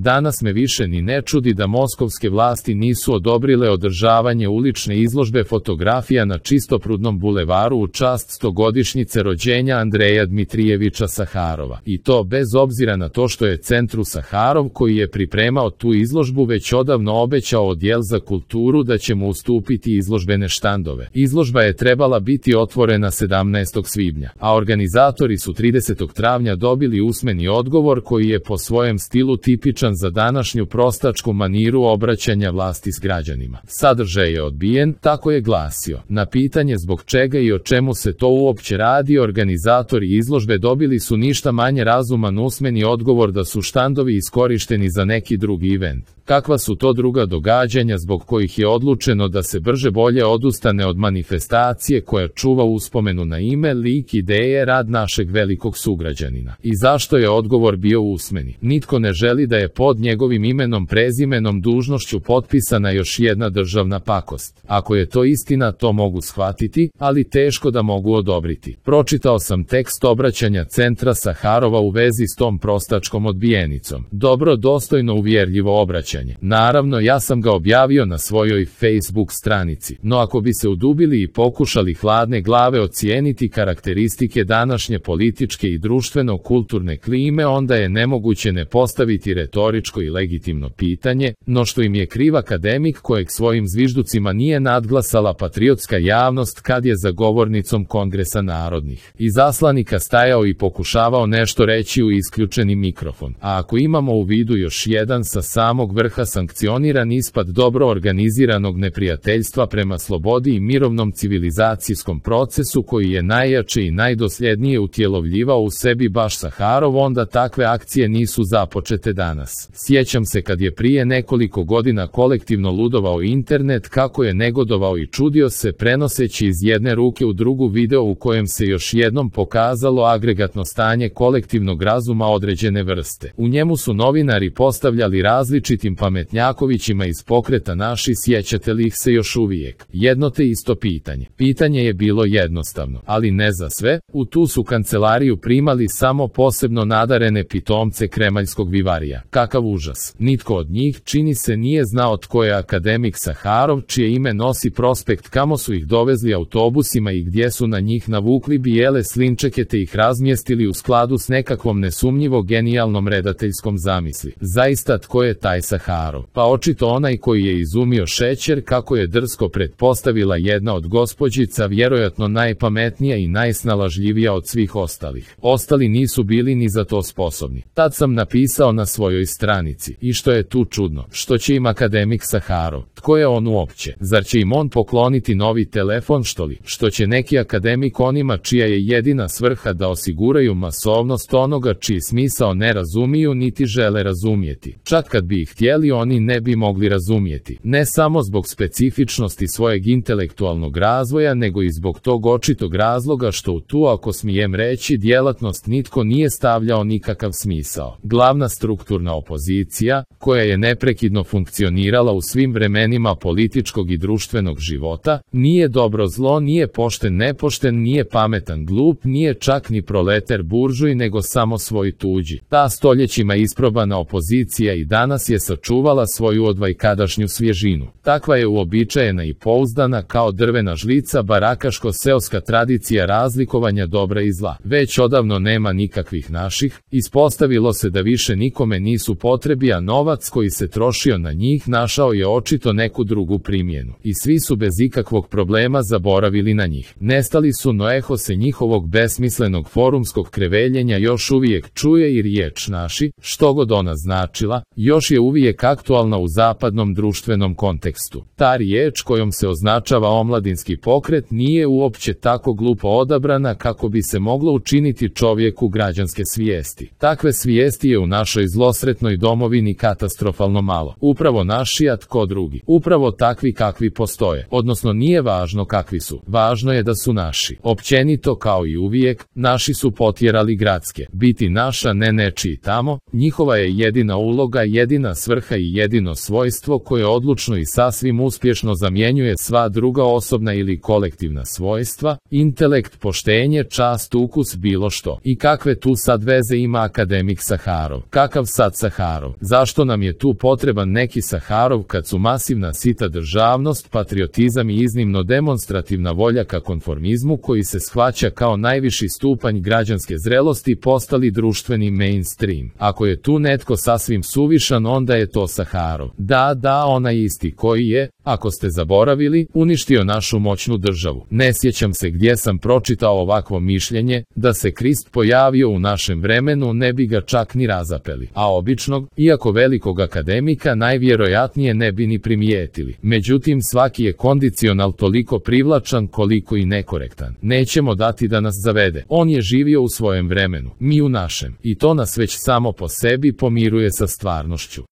Danas me više ni ne čudi da moskovske vlasti nisu odobrile održavanje ulične izložbe fotografija na Čistoprudnom bulevaru u čast 100-godišnjice rođenja Andreja Dmitrijeviča Saharova. I to bez obzira na to što je Centru Saharov, koji je pripremao tu izložbu, već odavno obećao Odjel za kulturu da će mu ustupiti izložbene štandove. Izložba je trebala biti otvorena 17. svibnja, a organizatori su 30. travnja dobili usmeni odgovor koji je po svojem stilu tipičan za današnju prostačku maniru obraćanja vlasti s građanima. Sadržaj je odbijen, tako je glasio. Na pitanje zbog čega i o čemu se to uopće radi, organizatori izložbe dobili su ništa manje razuman usmeni odgovor da su štandovi iskorišteni za neki drugi event. Kakva su to druga događanja zbog kojih je odlučeno da se brže bolje odustane od manifestacije koja čuva uspomenu na ime, lik, ideje, rad našeg velikog sugrađanina? I zašto je odgovor bio usmeni? Nitko ne želi da je pod njegovim imenom, prezimenom, dužnošću potpisana još jedna državna pakost. Ako je to istina, to mogu shvatiti, ali teško da mogu odobriti. Pročitao sam tekst obraćanja Centra Saharova u vezi s tom prostačkom odbijenicom. Dobro, dostojno, uvjerljivo obraćanje. Naravno, ja sam ga objavio na svojoj Facebook stranici, no ako bi se udubili i pokušali hladne glave ocijeniti karakteristike današnje političke i društveno-kulturne klime, onda je nemoguće ne postaviti retoričko i legitimno pitanje, no što im je kriv akademik kojeg svojim zvižducima nije nadglasala patriotska javnost kad je za govornicom Kongresa narodnih izaslanika stajao i pokušavao nešto reći u isključeni mikrofon. A ako imamo u vidu još jedan sa samog vrha sankcioniran ispad dobro organiziranog neprijateljstva prema slobodi i mirovnom civilizacijskom procesu koji je najjače i najdosljednije utjelovljivao u sebi baš Saharov, onda takve akcije nisu započete danas. Sjećam se kad je prije nekoliko godina kolektivno ludovao internet, kako je negodovao i čudio se prenoseći iz jedne ruke u drugu video u kojem se još jednom pokazalo agregatno stanje kolektivnog razuma određene vrste. U njemu su novinari postavljali različitim pametnjakovićima iz pokreta Naši, sjećate li ih se još uvijek, jedno te isto pitanje. Pitanje je bilo jednostavno, ali ne za sve. U tu su kancelariju primali samo posebno nadarene pitomce kremaljskog vivarija. Kakav užas! Nitko od njih, čini se, nije znao tko je akademik Saharov, čije ime nosi prospekt, kamo su ih dovezli autobusima i gdje su na njih navukli bijele slinčeke te ih razmjestili u skladu s nekakvom nesumnjivo genijalnom redateljskom zamisli. Zaista, tko je taj Saharov? Pa očito onaj koji je izumio šećer, kako je drsko pretpostavila jedna od gospođica, vjerojatno najpametnija i najsnalažljivija od svih ostalih. Ostali nisu bili ni za to sposobni. Tad sam napisao na svojoj stranici: i što je tu čudno? Što će im akademik Saharov? Tko je on uopće? Zar će im on pokloniti novi telefon, što li? Što će neki akademik onima čija je jedina svrha da osiguraju masovnost onoga čiji smisao ne razumiju niti žele razumjeti? Čak kad bi ih htjeli, oni ne bi mogli razumjeti. Ne samo zbog specifičnosti svojeg intelektualnog razvoja, nego i zbog tog očitog razloga što u tu, ako smijem reći, djelatnost nitko nije stavljao nikakav smisao. Glavna strukturna opozicija, koja je neprekidno funkcionirala u svim vremenima političkog i društvenog života, nije dobro zlo, nije pošten nepošten, nije pametan glup, nije čak ni proleter buržuj, nego samo svoj tuđi. Ta stoljećima isprobana opozicija i danas je sačuvala svoju odvajkadašnju svježinu. Takva je uobičajena i pouzdana kao drvena žlica barakaško-seoska tradicija razlikovanja dobra i zla. Već odavno nema nikakvih naših, ispostavilo se da više nikome nisu potrebi, a novac koji se trošio na njih našao je očito neku drugu primjenu. I svi su bez ikakvog problema zaboravili na njih. Nestali su, no eho se njihovog besmislenog forumskog kreveljenja još uvijek čuje i riječ naši, što god ona značila, još je uvijek aktualna u zapadnom društvenom kontekstu. Ta riječ kojom se označava omladinski pokret nije uopće tako glupo odabrana kako bi se moglo učiniti čovjeku građanske svijesti. Takve svijesti je u našoj zlosretnoj domovini katastrofalno malo. Upravo naši, a tko drugi? Upravo takvi kakvi postoje. Odnosno, nije važno kakvi su. Važno je da su naši. Općenito, kao i uvijek, naši su potjerali gradske. Biti naša, ne nečiji tamo, njihova je jedina uloga, jedina svrha i jedino svojstvo koje odlučno i sasvim uspješno zamjenjuje sva druga osobna ili kolektivna svojstva, intelekt, poštenje, čast, ukus, bilo što. I kakve tu sad veze ima akademik Saharov? Kakav sad Saharov? Saharov. Zašto nam je tu potreban neki Saharov kad su masivna sita državnost, patriotizam i iznimno demonstrativna volja ka konformizmu koji se shvaća kao najviši stupanj građanske zrelosti postali društveni mainstream? Ako je tu netko sasvim suvišan, onda je to Saharov. Da, onaj isti koji je, ako ste zaboravili, uništio našu moćnu državu. Ne sjećam se gdje sam pročitao ovakvo mišljenje, da se Krist pojavio u našem vremenu ne bi ga čak ni razapeli, a običnog, iako velikog akademika, najvjerojatnije ne bi ni primijetili. Međutim, svaki je kondicional toliko privlačan koliko i nekorektan. Nećemo dati da nas zavede. On je živio u svojem vremenu, mi u našem, i to nas već samo po sebi pomiruje sa stvarnošću.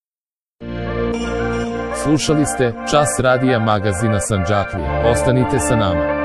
Slušali ste Čas radija magazina Sandžaklija. Ostanite sa nama.